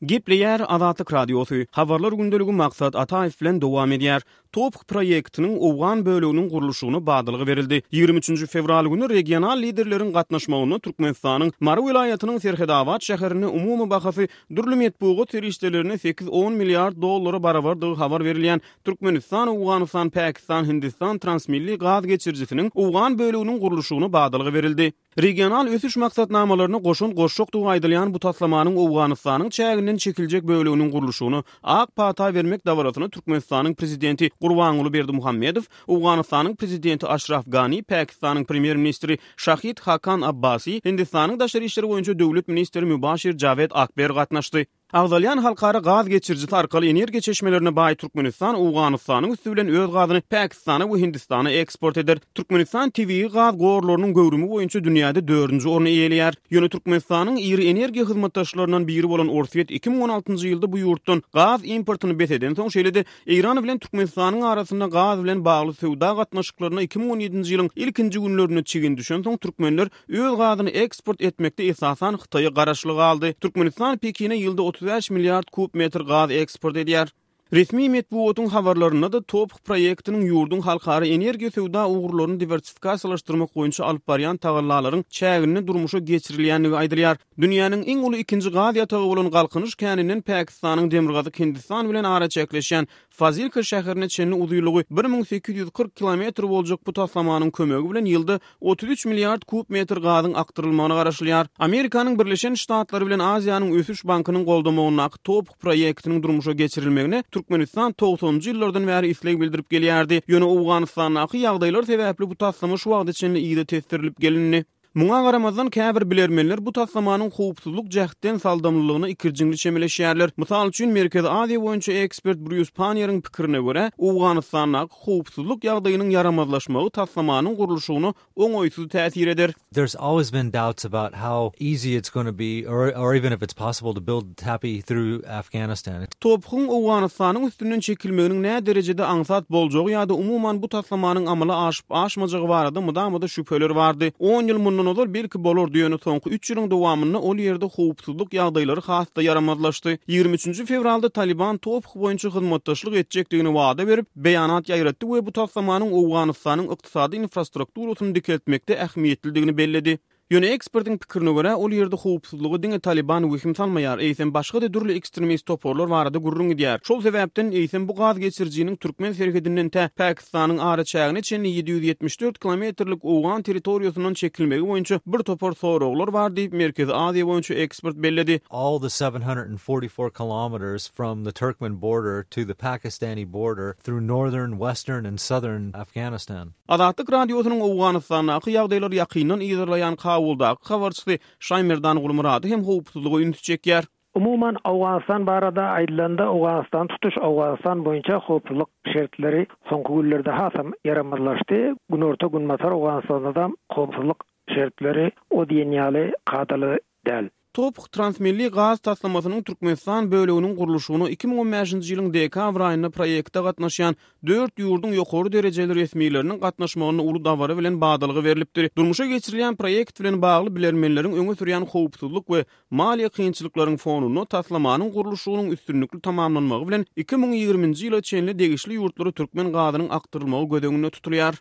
Gepleýär Azatlyk Radiosy, Habarlar gündeligi Maksat Ataýew bilen dowam edýär. TOPH proýektiniň owgan böleginiň gurluşygyna badalga berildi. 23-nji fewral güni regional liderleriň gatnaşmagynda Türkmenistanyň Mary welaýatynyň Serhetabat şäherinde umumy bahasy dürli metbugat serişdelerinde sekiz-on milliard dollara barabardygy habar berilýän Türkmenistan, Owganystan, Pakistan, Hindistan transmilli gaz geçirijisiniň owgan böleginiň gurluşygyna badalga berildi. Regional ösüş maksatnamalaryna goşant goşjakdygy aýdylýan bu taslamanyň Owganystanyň çäginden çekiljek böleginiň gurluşygyna ak pata bermek dabarasyna Türkmenistanyň Prezidenti Gurbanguly Berdimuhamedow, Owganystanyň Prezidenti Aşraf Gani, Pakistanyň Premýer-ministri Şahid Hakan Abbasi, Hindistanyň daşary işler boýunça döwlet ministri Mübaşir Jawed Akber gatnaşdy. Agzalýan halkara gaz geçirijisi arkaly energiýa çeşmelerine baý Türkmenistan Owganystanyň üsti bilen öz gazyny Pakistana we Hindistana eksport eder. Türkmenistan tebigy gaz gorlarynyň göwrümi boýunça dünýäde dördünji orny eýeleýär. Ýöne Türkmenistanyň iri energiýa hyzmatdaşlaryndan biri bolan Orsýet 2016-njy ýylda bu ýurtdan gaz importyny bes edensoň, şeýle-de Eýran bilen Türkmenistanyň arasynda gaz bilen bagly söwda gatnaşyklaryna 2017-nji ýylyň ilkinji günlerinde çigin düşensoň, türkmenler Öz gazyny eksport etmekde esasan Hytaýa garaşly galdy. Türkmenistan Pekine ýylda 35 milliard kub metr gaz eksport edýär. Resmi metbugatyň habarlarynda-da TOPH proýektiniň ýurduň halkara energiýa söwda ugurlaryny diwersifikasiýalaşdyrmak boýunça alyp barýan tagallalaryň çäginde durmuşa geçirilýändigi aýdylýar. Dünýäniň iň uly ikinji gaz ýatagy bolan Galkynyş käninden Pakistanyň demirgazyk Hindistan bilen araçäkleşýän Fazilka şäherine çenli uzynlygy 1840 kilometr boljak bu taslamanyň kömegi bilen ýylda 33 milliard kub metr gazyň akdyrylmagyna garaşylýar. Amerikanyň Birleşen Ştatlary bilen Aziýanyň ösüş bankynyň goldamagyndaky TOPH proýektiniň durmuşa geçirilmegine Türkmenistan togsanynjy ýyllardan bäri isleg bildirip gelýärdi. Ýöne Owganystandaky ýagdaýlar sebäpli bu taslama şu wagta çenli yza tesdirilip gelindi. Muňa garamazdan, käbir bilermenler bu taslamanyň howpsuzlyk jähtden saldamlylygyna ikirjiňli çemeleşýärler. Mysal üçin, Merkezi Aziýa boýunça ekspert Brýus Panniýeriň pikirine görä, Owganystandaky howpsuzlyk ýagdaýynyň ýaramazlaşmagy taslamanyň gurluşygyna oňaýsyz täsir eder. There's always been doubts about how easy it's gonna be or or even if it's possible to build TAPI through Afghanistan. TOPH-yň Owganystanyň üstünden çekilmeginiň näderejede aňsat boljagy ýa-da umuman bu taslamanyň amala aşyp-aşmajagy barada mydama-da şübheler bardy. On ýyl mundan ozal belki bolardy, ýöne soňky üç ýylyň dowamynda ol ýerde howpsuzlyk ýagdaýlary has-da ýaramazlaşdy. 23-nji fewralda Talyban TOPH boýunça hyzmatdaşlyk etjekdigini wada berip, beýanat ýaýratdy we bu taslamanyň Owganystanyň ykdysady infrastrukturasyny dikeltmekde ähmiýetlidigini belledi. Ýöne ekspertiň pikirine görä, ol ýerde howpsuzlyga diňe Talyban wehim salmaýar, eýsem başga-da dürli ekstremist toparlar barada gürrüň gidýär. Şol sebäpden, eýsem bu gaz geçirijiniň türkmen serhedinden tä Pakistanyň araçägine çenli 774 kilometrlik owgan territoriýasyndan çekilmegi boýunça bir topar soraglar bar diýip, Merkezi Aziýa boýunça ekspert belledi. All the 744 kilometers from the Turkmen border to the Pakistani border through northern, western and southern Afghanistan. Azatlyk Radiosynyň Owganystandaky ýagdaýlary ýakyndan yzarlaýan Kabuldaky habarçysy Şaýmerdan Gulmyrady hem howpsuzlyga ünsi çekýär. Umuman, Owganystan barada aýdylanda, Owganystan tutuş Owganystan boýunça howpsuzlyk şertleri soňky günlerde hasam ýaramazlaşdy. Günorta-günbatar Owganystanda-da howpsuzlyk şertleri o diýen ýaly kadaly däl. TOPH transmilli gaz taslamasynyň Türkmenistan böleginiň gurluşygyna 2015-nji ýylyň dekabr aýynda proýekte gatnaşýan dört ýurduň ýokary derejeli resmileriniň gatnaşmagynda uly dabara bilen badalga berlipdir. Durmuşa geçirilýän proýekt bilen bagly bilermenleriň öňe sürýän howpsuzlyk we maliýe kynçylyklaryň fonunda taslamanyň gurluşygynyň üstünlikli tamamlanmagy bilen 2020-nji ýyla çenli degişli ýurtlara türkmen gazynyň akdyrylmagy göz öňünde tutulýar.